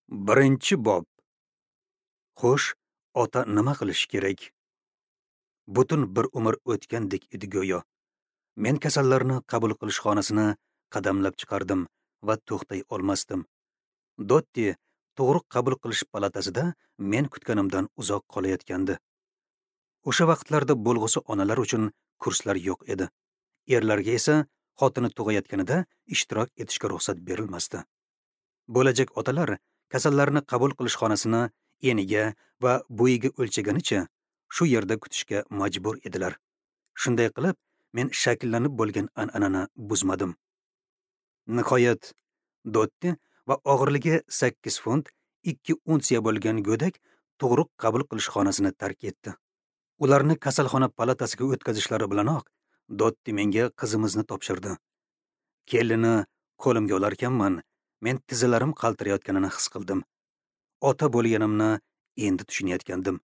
Birinchi bob. Xo'sh, ota nima qilish kerak? Butun bir umr o'tgandek edi go'yo. Men kasallarni qabul qilish xonasini qadamlab chiqardim va to'xtay olmasdim. Dotti tug'ruq qabul qilish palatasida men kutganimdan uzoq qolayotgandi. O'sha vaqtlarda bo'lg'usi onalar uchun kurslar yo'q edi. Erlarga esa xotini tug'ayotganida ishtirok etishga ruxsat berilmasdi. Bo'lajak otalar kasallarni qabul qilish xonasini eniga va bo'yiga o'lchaganicha shu yerda kutishga majbur edilar. Shunday qilib, men shakllanib bo'lgan an'anani buzmadim. Nihoyat Dotti va og'irligi 8 funt 2 unsiya bo'lgan go'dak tug'ruq qabul qilish xonasini tark etdi. Ularni kasalxona palatasiga o'tkazishlari bilanoq Dotti menga qizimizni topshirdi. Kelini qo'limga olarkanman, men tizzalarim qaltirayotganini his qildim. Ota bo'lganimni endi tushunayotgandim.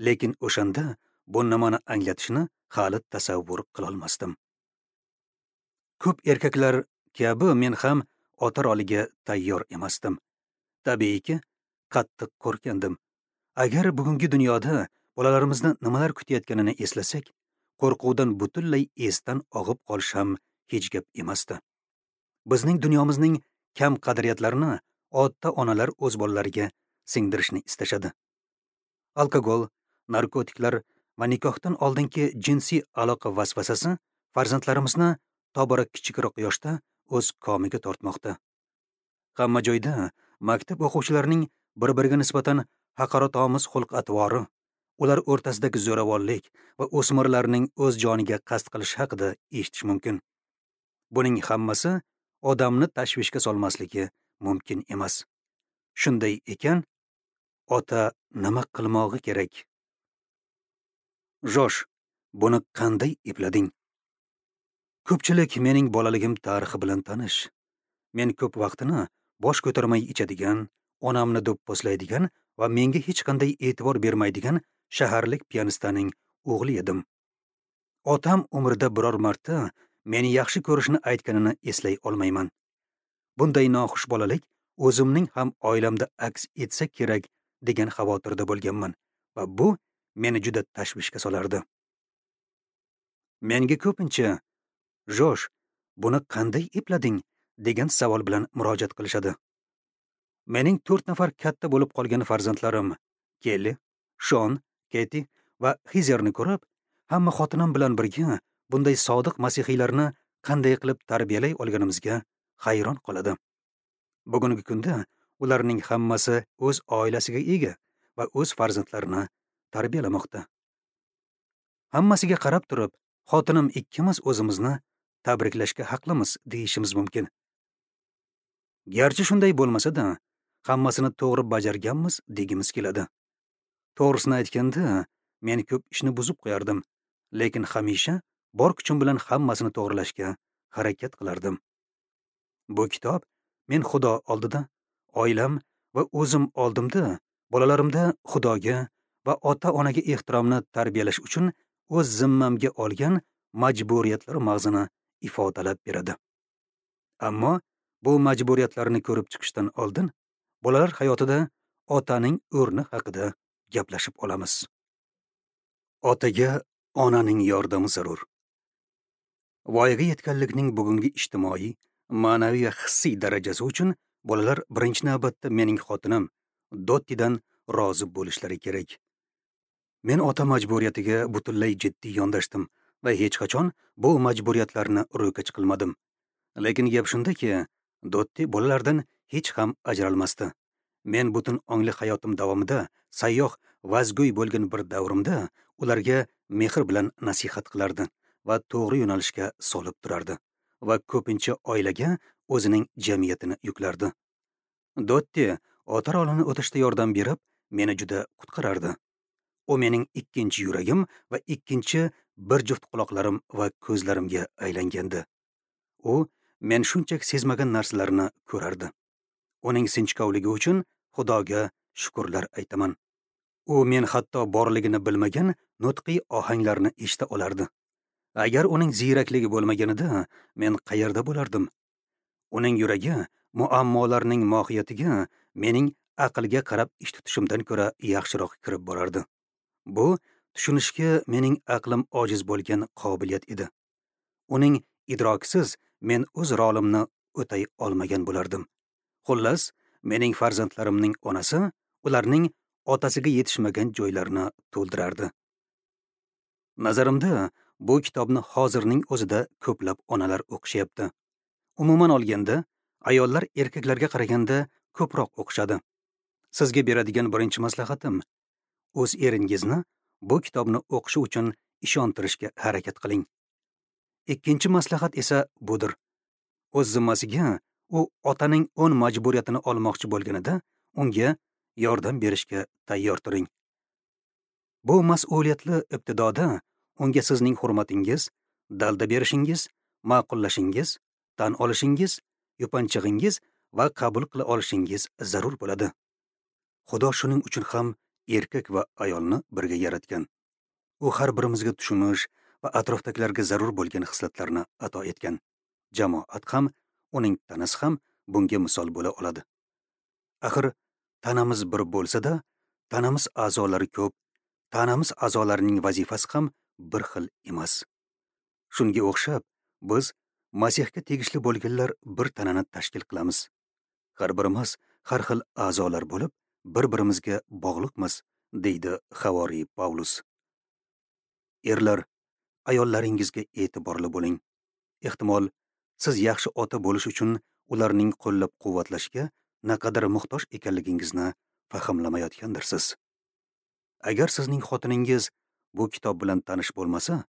Lekin o'shanda bu nimani anglatishini hali tasavvur qilolmasdim. Ko'p erkaklar kabi men ham ota roliga tayyor emasdim. Tabiiyki, qattiq qo'rqgandim. Agar bugungi dunyoda bolalarimizni nimalar kutayotganini eslasak, qo'rquvdan butunlay esdan og'ib qolish ham hech gap emasdi. Bizning dunyomizning kam qadriyatlarini ota-onalar o'z bolalariga singdirishni istashadi. Alkogol, narkotiklar va nikohdan oldingi jinsiy aloqa vasvasasi farzandlarimizni tobora kichikroq yoshda o'z komiga tortmoqda. Hamma joyda maktab o'quvchilarining bir-biriga nisbatan haqoratomuz xulq-atvori, ular o'rtasidagi zo'ravonlik va o'smirlarning o'z joniga qasd qilish haqida eshitish mumkin. Buning hammasi odamni tashvishga solmasligi mumkin emas. Shunday ekan, ota nima qilmog'i kerak? Josh, buni qanday eplading? Ko'pchilik mening bolaligim tarixi bilan tanish. Men ko'p vaqtini bosh ko'tarmay ichadigan, onamni do'pposlaydigan va menga hech qanday e'tibor bermaydigan shaharlik pianistaning o'g'li edim. Otam umrida biror marta meni yaxshi ko'rishini aytganini eslay olmayman. Bunday noxush bolalik o'zimning ham oilamda aks etsa kerak degan xavotirda bo'lganman va bu meni juda tashvishga solardi. Menga ko'pincha "Josh, buni qanday eplading?" degan savol bilan murojaat qilishadi. Mening 4 nafar katta bo'lib qolgan farzandlarim Kelli, Shon, Keti va Xizerni ko'rib, hamma xotinim bilan birga bunday sodiq masihiylarni qanday qilib tarbiyalay olganimizga hayron qoladi. Bugungi kunda ularning hammasi o'z oilasiga ega va o'z farzandlarini tarbiyalamoqda. Hammasiga qarab turib, xotinim ikkimiz o'zimizni tabriklashga haqlimiz deyishimiz mumkin. Garchi shunday bo'lmasa-da, hammasini to'g'ri bajarganmiz degimiz keladi. To'g'risini aytganda, men ko'p ishni buzib qo'yardim, lekin hamisha bor kuchim bilan hammasini to'g'rilashga harakat qilardim. Bu kitob men Xudo oldida, oilam va o'zim oldimda bolalarimda Xudoga va ota-onaga ehtiromni tarbiyalash uchun o'z zimmamga olgan majburiyatlar mag'zini ifodalab beradi. Ammo bu majburiyatlarni ko'rib chiqishdan oldin bolalar hayotida otaning o'rni haqida gaplashib olamiz. Otaga onaning yordami zarur. Voyaga yetganlikning bugungi ijtimoiy, ma'naviy va hissiy darajasi uchun bolalar birinchi navbatda mening xotinim Dottidan rozi bo'lishlari kerak. Men ota majburiyatiga butunlay jiddiy yondashdim va hech qachon bu majburiyatlarni ro'kach qilmadim. Lekin gap shundaki, Dotti bolalardan hech ham ajralmasdi. Men butun ongli hayotim davomida sayyoh, vazgo'y bo'lgan bir davrimda ularga mehr bilan nasihat qilardi va to'g'ri yo'nalishga solib turardi va ko'pincha oilaga o'zining jamiyatini yuklardi. Dotti ota rolini o'tashda yordam berib, meni juda qutqarardi. U mening ikkinchi yuragim va ikkinchi bir juft quloqlarim va ko'zlarimga aylangandi. U men shunchaki sezmagan narsalarni ko'rardi. Uning sinchkovligi uchun Xudoga shukrlar aytaman. U men hatto borligini bilmagan nutqiy ohanglarni eshita olardi. Agar uning ziyrakligi bo'lmaganida men qayerda bo'lardim? Uning yuragi muammolarning mohiyatiga mening aqlga qarab ish tutishimdan ko'ra yaxshiroq kirib borardi. Bu tushunishga mening aqlim ojiz bo'lgan qobiliyat edi. Uning idroksiz men o'z rolimni o'tay olmagan bo'lardim. Xullas, mening farzandlarimning onasi ularning otasiga yetishmagan joylarini to'ldirardi. Nazarimda, bu kitobni hozirning o'zida ko'plab onalar o'qishyapti. Umuman olganda, ayollar erkaklarga qaraganda ko'proq o'qishadi. Sizga beradigan birinchi maslahatim, o'z eringizni bu kitobni o'qishi uchun ishontirishga harakat qiling. Ikkinchi maslahat esa budir. O'z zimmasiga u otaning 10 majburiyatini olmoqchi bo'lganida unga yordam berishga tayyor turing. Bu mas'uliyatli ibtidoda unga sizning hurmatingiz, dalda berishingiz, ma'qullashingiz, tan olishingiz, yupanchig'ingiz va qabul qila olishingiz zarur bo'ladi. Xudo shuning uchun ham erkak va ayolni birga yaratgan. U har birimizga tushunish va atrofdagilarga zarur bo'lgan xislatlarni ato etgan. Jamoat ham, uning tanasi ham bunga misol bo'la oladi. Axir tanamiz bir bo'lsa-da, tanamiz a'zolari ko'p, tanamiz a'zolarining vazifasi ham bir xil emas. Shunga o'xshab, biz Masihga tegishli bo'lganlar bir tanani tashkil qilamiz. Har birimiz har xil a'zolar bo'lib, bir-birimizga bog'liqmiz, deydi Havoriy Pavlus. Erlar, ayollaringizga e'tiborli bo'ling. Ehtimol, siz yaxshi ota bo'lish uchun ularning qo'llab-quvvatlashga naqadar muhtoj ekanligingizni fahmlamayotgandirsiz. Agar sizning xotiningiz bu kitob bilan tanish bo'lmasa,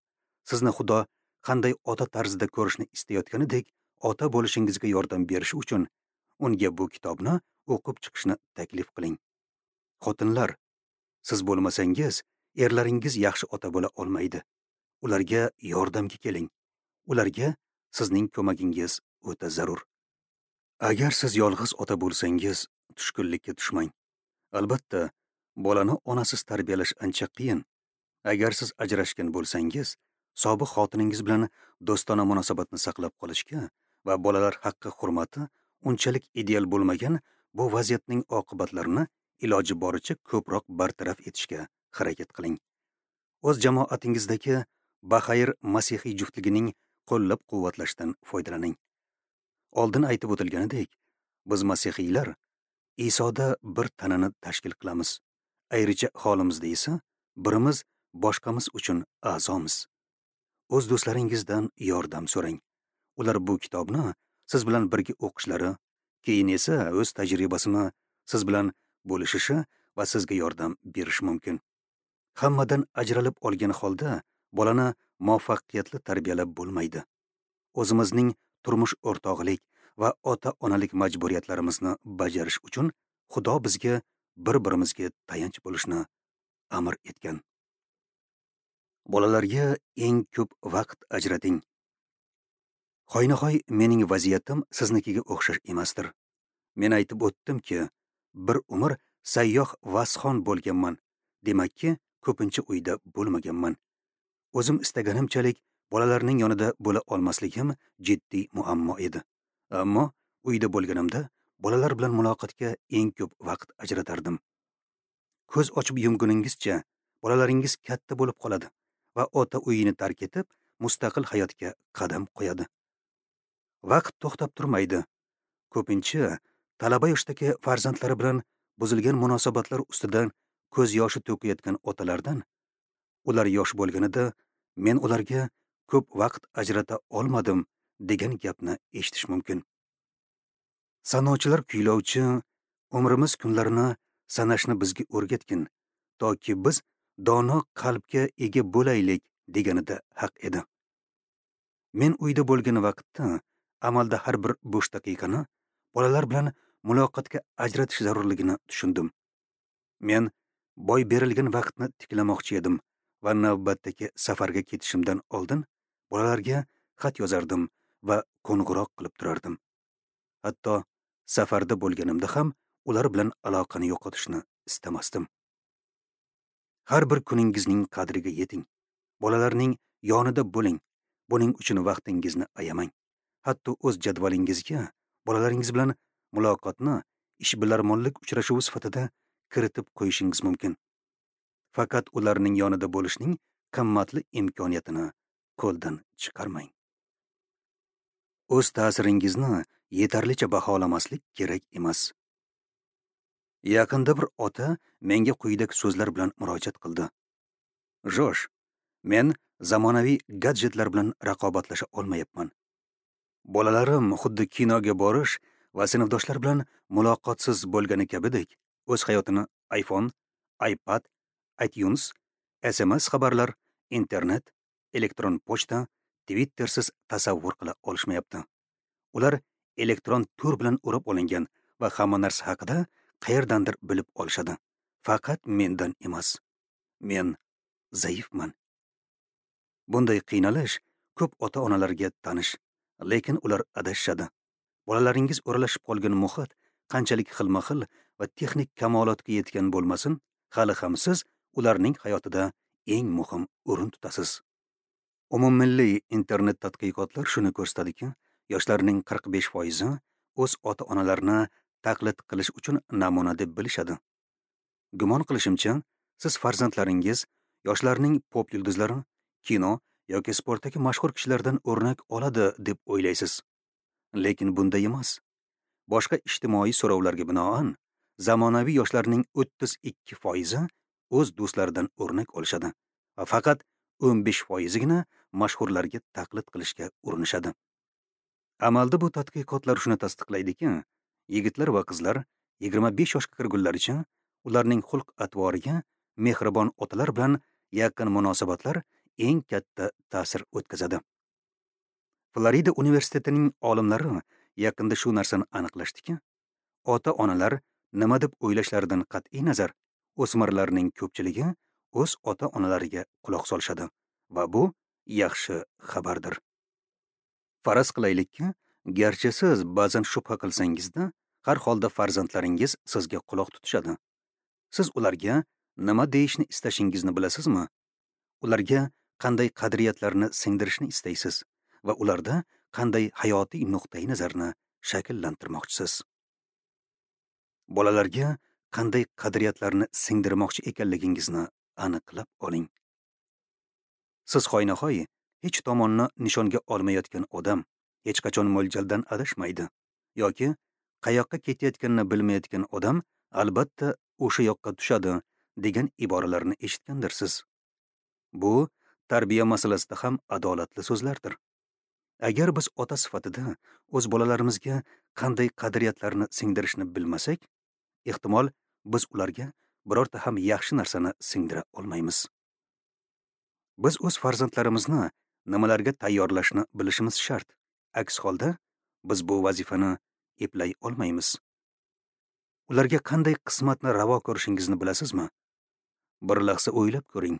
sizni Xudo qanday ota tarzida ko'rishni istayotganidek ota bo'lishingizga yordam berishi uchun unga bu kitobni o'qib chiqishni taklif qiling. Xotinlar, siz bo'lmasangiz, erlaringiz yaxshi ota bo'la olmaydi. Ularga yordamga keling. Ularga sizning ko'magingiz o'ta zarur. Agar siz yolg'iz ota bo'lsangiz, tushkunlikka tushmang. Albatta, bolani onasiz tarbiyalash ancha qiyin. Agar siz ajrashgan bo'lsangiz, sobiq xotiningiz bilan do'stona munosabatni saqlab qolishga va bolalar haqqi hurmati unchalik ideal bo'lmagan bu vaziyatning oqibatlarini iloji boricha ko'proq bartaraf etishga harakat qiling. O'z jamoatingizdagi baxayr masihiy juftligining qo'llab-quvvatlashdan foydalaning. Oldin aytib o'tilganidek, biz masihiylar Isoda bir tanani tashkil qilamiz. Ayricha holimizda esa birimiz boshqamiz uchun a'zomiz. O'z do'stlaringizdan yordam so'rang. Ular bu kitobni siz bilan birga o'qishlari, keyin esa o'z tajribasini siz bilan bo'lishishi va sizga yordam berishi mumkin. Hammadan ajralib olgan holda bolani muvaffaqiyatli tarbiyalab bo'lmaydi. O'zimizning turmush o'rtog'lik va ota-onalik majburiyatlarimizni bajarish uchun Xudo bizga bir-birimizga tayanch bo'lishni amr etgan. Bolalarga eng ko'p vaqt ajrating. Hoynahoy mening vaziyatim siznikiga o'xshash emasdir. Men aytib o'tdimki, bir umr sayyoh vasxon bo'lganman. Demakki, ko'pincha uyda bo'lmaganman. O'zim istaganimchalik bolalarning yonida bo'la olmasligim jiddiy muammo edi. Ammo uyda bo'lganimda bolalar bilan muloqotga eng ko'p vaqt ajratardim. Ko'z ochib yumguningizcha bolalaringiz katta bo'lib qoladi va ota uyini tark etib, mustaqil hayotga qadam qo'yadi. Vaqt to'xtab turmaydi. Ko'pincha talaba yoshdagi farzandlari bilan buzilgan munosabatlar ustidan ko'z yoshi to'kayotgan otalardan, ular yosh bo'lganida men ularga ko'p vaqt ajrata olmadim degan gapni eshitish mumkin. Sanochilar kuylovchi umrimiz kunlarini sanashni bizga o'rgatgin, toki biz dono qalbga ega bo'laylik deganida haq edi. Men uyda bo'lgan vaqtda amalda har bir bo'sh daqiqani bolalar bilan muloqotga ajratish zarurligini tushundim. Men boy berilgan vaqtni tiklamoqchi edim va navbatdagi safarga ketishimdan oldin bolalarga xat yozardim va qo'ng'iroq qilib turardim. Hatto safarda bo'lganimda ham ular bilan aloqani yo'qotishni istamasdim. Har bir kuningizning qadriga yeting. Bolalarning yonida bo'ling. Buning uchun vaqtingizni ayamang. Hatto o'z jadvalingizga bolalaringiz bilan muloqotni ishbilarmonlik uchrashuvi sifatida kiritib qo'yishingiz mumkin. Faqat ularning yonida bo'lishning qimmatli imkoniyatini qo'ldan chiqarmang. O'z ta'siringizni yetarlicha baholamaslik kerak emas. Yaqinda bir ota menga quyidagi so'zlar bilan murojaat qildi. Josh, men zamonaviy gadjetlar bilan raqobatlasha olmayapman. Bolalarim xuddi kinoga borish va sinfdoshlar bilan muloqotsiz bo'lgani kabidek, o'z hayotini iPhone, iPad, iTunes, SMS xabarlar, internet, elektron pochta, Twittersiz tasavvur qila olishmayapti. Ular elektron to'r bilan o'rab olingan va hamma narsa haqida qayerdandir bilib olishadi. Faqat mendan emas. Men zaifman. Bunday qiynalish ko'p ota-onalarga tanish, lekin ular adashishadi. Bolalaringiz o'ralashib qolgan muhit qanchalik xilma-xil va texnik kamolotga yetgan bo'lmasin, hali ham siz ularning hayotida eng muhim o'rin tutasiz. Umummilliy internet tadqiqotlar shuni ko'rsatadiki, yoshlarning 45% o'z ota-onalarini taqlid qilish uchun namuna deb bilishadi. Gumon qilishimcha, siz farzandlaringiz yoshlarning pop yulduzlari, kino yoki sportdagi mashhur kishilardan o'rnak oladi deb o'ylaysiz. Lekin bunday emas. Boshqa ijtimoiy so'rovlarga binoan, zamonaviy yoshlarning 32% o'z do'stlaridan o'rnak olishadi va faqat 15%gina mashhurlarga taqlid qilishga urinishadi. Amalda bu tadqiqotlar shuni tasdiqlaydiki, yigitlar va qizlar 25 yoshga kirgunlaricha ularning xulq-atvoriga mehribon otalar bilan yaqin munosabatlar eng katta ta'sir o'tkazadi. Florida universitetining olimlari yaqinda shu narsani aniqlashdiki, ota-onalar nima deb o'ylashlaridan qat'iy nazar, o'smirlarning ko'pchiligi o'z ota-onalariga quloq solishadi va bu yaxshi xabardir. Faraz qilaylikki, garchi siz ba'zan shubha qilsangizda, har holda farzandlaringiz sizga quloq tutishadi. Siz ularga nima deyishni istashingizni bilasizmi? Ularga qanday qadriyatlarni singdirishni istaysiz va ularda qanday hayotiy nuqtai nazarni shakllantirmoqchisiz? Bolalarga qanday qadriyatlarni singdirmoqchi ekanligingizni aniqlab oling. Siz hoynahoy hech tomonni nishonga olmayotgan odam hech qachon mo'ljaldan adashmaydi yoki qayoqqa ketayotganini bilmayotgan odam albatta o'sha yoqqa tushadi degan iboralarni eshitgandirsiz. Bu tarbiya masalasida ham adolatli so'zlardir. Agar biz ota sifatida o'z bolalarimizga qanday qadriyatlarni singdirishni bilmasak, ehtimol biz ularga birorta ham yaxshi narsani singdira olmaymiz. Biz o'z farzandlarimizni nimalarga tayyorlashni bilishimiz shart. Aks holda biz bu vazifani eplay olmaymiz. Ularga qanday qismatni ravo ko'rishingizni bilasizmi? Bir lahza o'ylab ko'ring.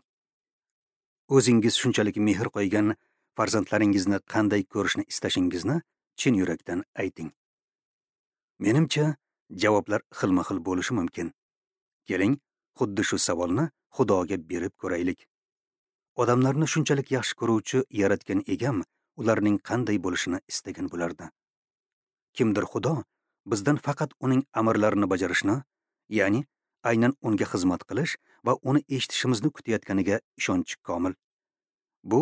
O'zingiz shunchalik mehr qo'ygan farzandlaringizni qanday ko'rishni istashingizni chin yurakdan ayting. Menimcha, javoblar xilma-xil bo'lishi mumkin. Keling, xuddi shu savolni Xudoga berib ko'raylik. Odamlarni shunchalik yaxshi ko'ruvchi yaratgan egam ularning qanday bo'lishini istagan bo'lardi. Kimdir Xudo bizdan faqat uning amrlarini bajarishni, ya'ni aynan unga xizmat qilish va uni eshitishimizni kutayotganiga ishonchi komil. Bu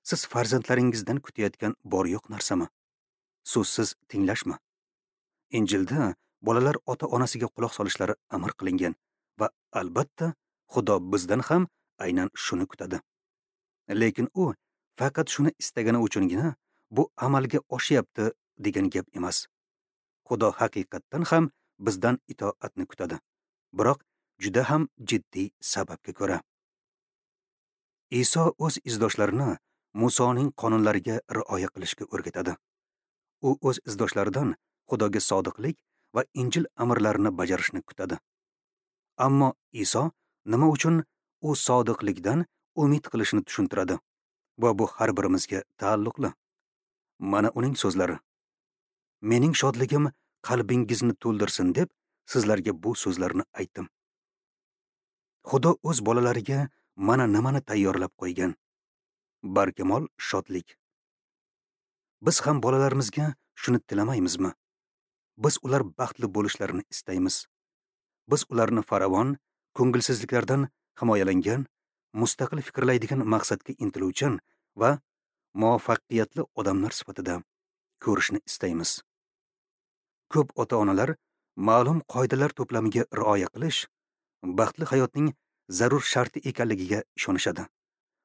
siz farzandlaringizdan kutayotgan bor yo'q narsami? So'zsiz tinglashmi? Injilda bolalar ota-onasiga quloq solishlari amr qilingan va albatta Xudo bizdan ham aynan shuni kutadi. Lekin u faqat shuni istagani uchungina bu amalga oshyapti degan gap emas. Xudo haqiqatdan ham bizdan itoatni kutadi, biroq juda ham jiddiy sababga ko'ra. Iso o'z izdoshlarini Musoning qonunlariga rioya qilishga o'rgatadi. U o'z izdoshlaridan Xudoga sodiqlik va Injil amrlarini bajarishni kutadi. Ammo Iso nima uchun u sodiqlikdan umid qilishini tushuntiradi va bu har birimizga taalluqli. Mana uning so'zlari: Mening shodligim qalbingizni to'ldirsin deb sizlarga bu so'zlarni aytdim. Xudo o'z bolalariga mana nimani tayyorlab qo'ygan? Barkamol shodlik. Biz ham bolalarimizga shuni tilamaymizmi? Biz ular baxtli bo'lishlarini istaymiz. Biz ularni farovon, ko'ngilsizliklardan himoyalangan, mustaqil fikrlaydigan, maqsadga intiluvchan va muvaffaqiyatli odamlar sifatida ko'rishni istaymiz. Ko'p ota-onalar ma'lum qoidalar to'plamiga rioya qilish baxtli hayotning zarur sharti ekanligiga ishonishadi.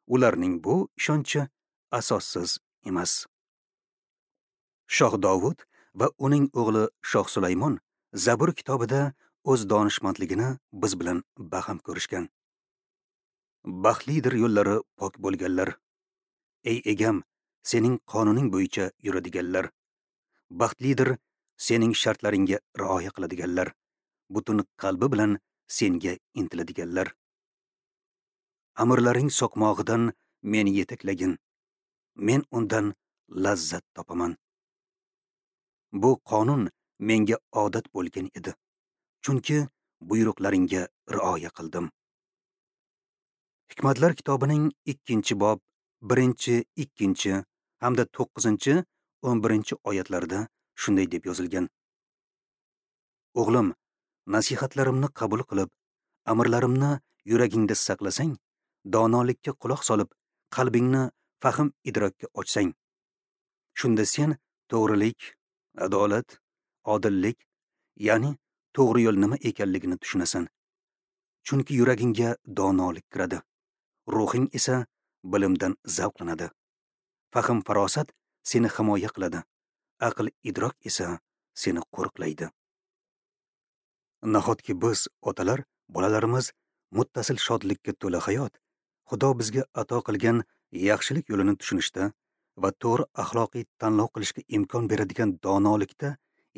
Ularning bu ishonchi asossiz emas. Shoh Dovud va uning o'g'li Shoh Sulaymon Zabur kitobida o'z donishmandligini biz bilan baham ko'rishgan. Baxtlidir yo'llari pok bo'lganlar. Ey egam, sening qonuning bo'yicha yuradiganlar. Baxtlidir sening shartlaringga rioya qiladiganlar. Butun qalbi bilan senga intiladiganlar. Amirlaring soqmog'idan meni yetaklagin. Men undan lazzat topaman. Bu qonun menga odat bo'lgan edi. Chunki buyruqlaringga rioya qildim. Hikmatlar kitobining 2-bob, 1, 2 hamda 9, 11 oyatlarida shunday deb yozilgan. O'g'lim, nasihatlarimni qabul qilib, amirlarimni yuragingda saqlasang, donolikka quloq solib, qalbingni fahm idrokka ochsang, shunda sen to'g'rilik, adolat, odillik, ya'ni to'g'ri yo'l nima ekanligini tushunasan. Chunki yuragingga donolik kiradi, ruhing esa bilimdan zavqlanadi. Fahm farosat seni himoya qiladi, aql idrok esa seni qo'riqlaydi. Nahotki biz otalar, bolalarimiz muttasil shodlikka to'la hayot, Xudo bizga ato qilgan yaxshilik yo'lini tushunishda va to'g'ri axloqiy tanlov qilishga imkon beradigan donolikda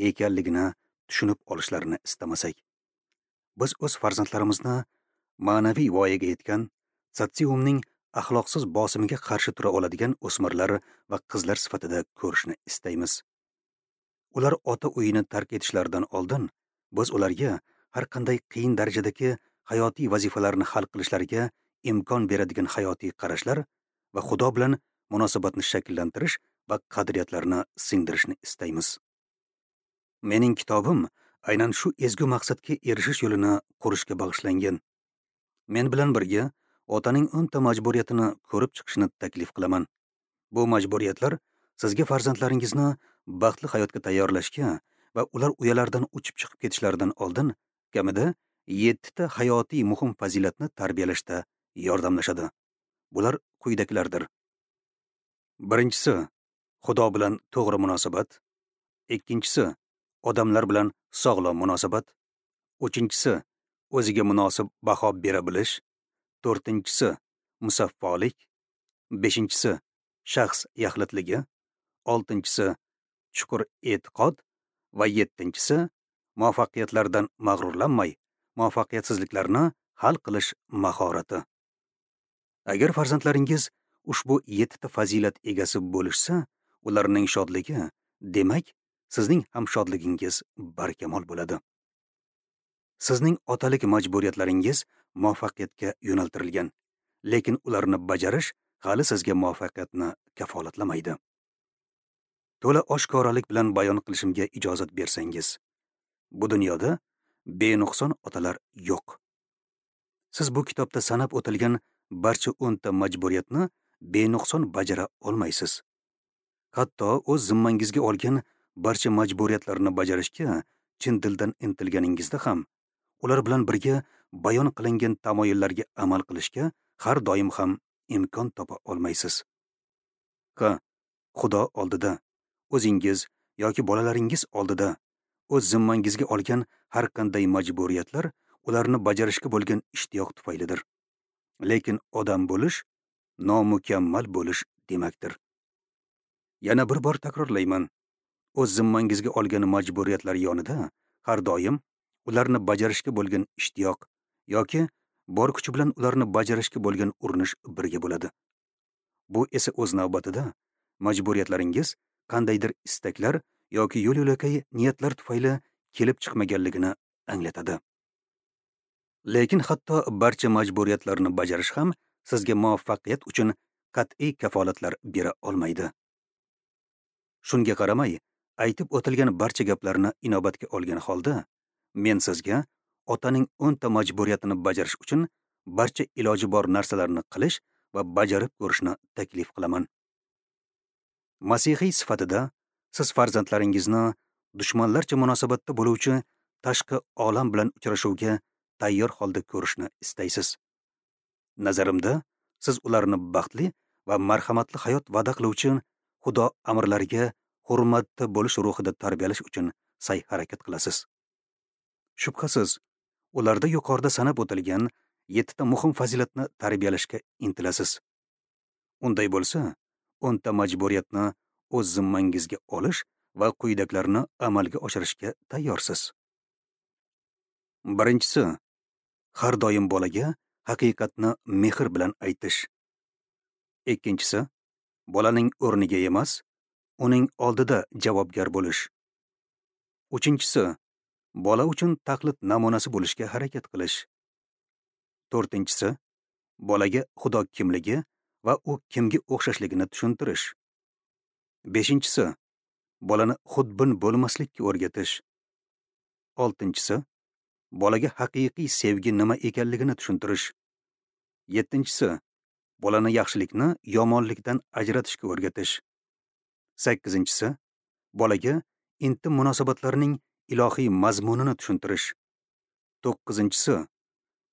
ekanligini tushunib olishlarini istamasak. Biz o'z farzandlarimizni ma'naviy voyaga yetgan, sotsiumning axloqsiz bosimiga qarshi tura oladigan o'smirlar va qizlar sifatida ko'rishni istaymiz. Ular ota uyini tark etishlaridan oldin biz ularga har qanday qiyin darajadagi hayotiy vazifalarni hal qilishlariga imkon beradigan hayotiy qarashlar va Xudo bilan munosabatni shakllantirish va qadriyatlarni singdirishni istaymiz. Mening kitobim aynan shu ezgu maqsadga erishish yo'lini qurishga bag'ishlangan. Men bilan birga otaning 10 ta majburiyatini ko'rib chiqishni taklif qilaman. Bu majburiyatlar sizga farzandlaringizni baxtli hayotga tayyorlashga va ular uyalaridan uchib chiqib ketishlaridan oldin kamida 7 ta hayotiy muhim fazilatni tarbiyalashda yordamlashadi. Bular quyidagilardir. Birinchisi, Xudo bilan to'g'ri munosabat. Ikkinchisi, odamlar bilan sog'lom munosabat. Uchinchisi, o'ziga munosib baho bera bilish. To'rtinchisi, musaffolik. Beshinchisi, shaxs yaxlitligi. Oltinchisi, chuqur e'tiqod va yettinchisi, muvaffaqiyatlardan mag'rurlanmay, muvaffaqiyatsizliklarni hal qilish mahorati. Agar farzandlaringiz ushbu 7 ta fazilat egasi bo'lishsa, ularning shodligi, demak, sizning ham shodligingiz barkamol bo'ladi. Sizning otalik majburiyatlaringiz muvaffaqiyatga yo'naltirilgan, lekin ularni bajarish hali sizga muvaffaqiyatni kafolatlamaydi. To'la oshkoralik bilan bayon qilishimga ijozat bersangiz, bu dunyoda benuqson otalar yo'q. Siz bu kitobda sanab o'tilgan barcha 10 ta majburiyatni benuqson bajara olmaysiz. Hatto o'z zimmangizga olgan barcha majburiyatlarni bajarishga chin dildan intilganingizda ham, ular bilan birga bayon qilingan tamoyillarga amal qilishga har doim ham imkon topa olmaysiz. Ha, Xudo oldida, o'zingiz yoki bolalaringiz oldida o'z zimmangizga olgan har qanday majburiyatlar ularni bajarishga bo'lgan ishtiyoq tufaylidir. Lekin odam bo'lish nomukammal bo'lish demakdir. Yana bir bor takrorlayman. O'z zimmangizga olgan majburiyatlar yonida har doim ularni bajarishga bo'lgan ishtiyoq yoki bor kuchi bilan ularni bajarishga bo'lgan urinish birga bo'ladi. Bu esa o'z navbatida majburiyatlaringiz qandaydir istaklar yoki yo'l-yo'lakay niyatlar tufayli kelib chiqmaganligini anglatadi. Lekin hatto barcha majburiyatlarni bajarish ham sizga muvaffaqiyat uchun qat'iy kafolatlar bera olmaydi. Shunga qaramay, Aytib o'tilgan barcha gaplarni inobatga olgan holda, men sizga otaning 10 ta majburiyatini bajarish uchun barcha iloji bor narsalarni qilish va bajarib ko'rishni taklif qilaman. Masihiy sifatida siz farzandlaringizni dushmanlarcha munosabatda bo'luvchi tashqi olam bilan uchrashuvga tayyor holda ko'rishni istaysiz. Nazarimda, siz ularni baxtli va marhamatli hayot va'da qiluvchi Xudo amrlariga hurmatda bo'lish ruhida tarbiyalash uchun sa'y harakat qilasiz. Shubhasiz, ularda yuqorida sanab o'tilgan 7 ta muhim fazilatni tarbiyalashga intilasiz. Unday bo'lsa, 10 ta majburiyatni o'z zimmangizga olish va quyidagilarni amalga oshirishga tayyorsiz. Birinchisi, har doim bolaga haqiqatni mehr bilan aytish. Ikkinchisi, bolaning o'rniga emas, uning oldida javobgar bo'lish. Uchinchisi, bola uchun taqlid namunasi bo'lishga harakat qilish. To'rtinchisi, bolaga Xudo kimligi va u kimga o'xshashligini tushuntirish. Beshinchisi, bolani xudbin bo'lmaslikka o'rgatish. Oltinchisi, bolaga haqiqiy sevgi nima ekanligini tushuntirish. Yettinchisi, bolani yaxshilikni yomonlikdan ajratishga o'rgatish. Sakkizinchisi, bolaga intim munosabatlarning ilohiy mazmunini tushuntirish. To'qqizinchisi,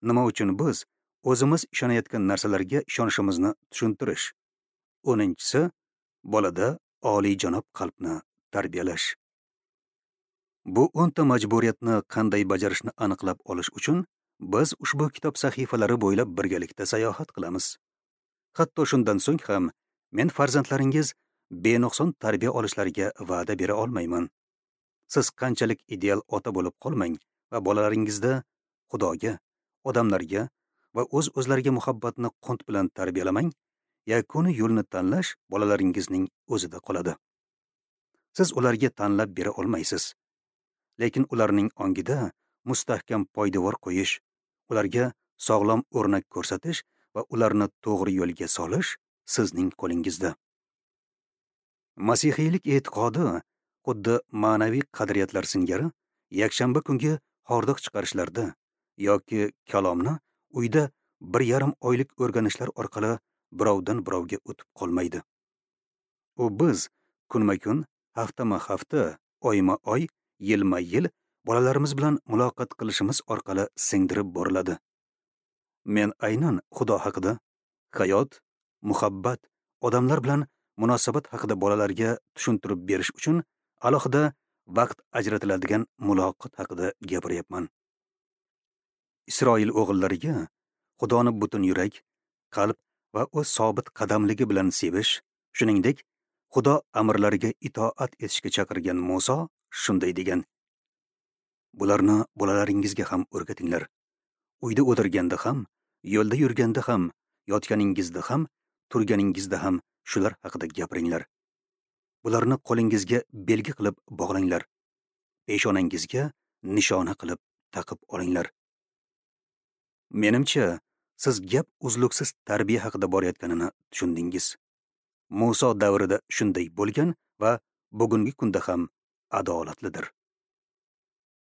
nima uchun biz o'zimiz ishonayotgan narsalarga ishonishimizni tushuntirish. O'ninchisi, bolada oliyjanob qalbni tarbiyalash. Bu 10 ta majburiyatni qanday bajarishni aniqlab olish uchun biz ushbu kitob sahifalari bo'ylab birgalikda sayohat qilamiz. Hatto shundan so'ng ham men farzandlaringiz benuqson tarbiya olishlariga va'da bera olmayman. Siz qanchalik ideal ota bo'lib qolmang va bolalaringizda Xudoga, odamlarga va o'z-o'zlariga muhabbatni qunt bilan tarbiyalamang, yakuniy yo'lni tanlash bolalaringizning o'zida qoladi. Siz ularga tanlab bera olmaysiz. Lekin ularning ongida mustahkam poydevor qo'yish, ularga sog'lom o'rnak ko'rsatish va ularni to'g'ri yo'lga solish sizning qo'lingizda. Masihiylik e'tiqodi xuddi ma'naviy qadriyatlar singari yakshanba kungi hordiq chiqarishlarda yoki kalomni uyda 1,5 oylik o'rganishlar orqali birovdan birovga o'tib qolmaydi. U biz kunma-kun, haftama-hafta, oyma-oy, yilma-yil bolalarimiz bilan muloqot qilishimiz orqali singdirib boriladi. Men aynan Xudo haqida, hayot, muhabbat, odamlar bilan munosabat haqida bolalarga tushuntirib berish uchun alohida vaqt ajratiladigan muloqot haqida gapiryapman. Isroil o'g'illariga Xudoni butun yurak, qalb va o'z sobit qadamligi bilan sevish, shuningdek, Xudo amrlariga itoat etishga chaqirgan Muso shunday degan: Bularni bolalaringizga ham o'rgatinglar. Uyda o'tirganda ham, yo'lda yurganda ham, yotganingizda ham, turganingizda ham shular haqida gapiringlar. Bularni qo'lingizga belgi qilib bog'langlar. Peshonangizga nishona qilib taqib olinglar. Menimcha, siz gap uzluksiz tarbiya haqida borayotganini tushundingiz. Muso davrida shunday bo'lgan va bugungi kunda ham adolatlidir.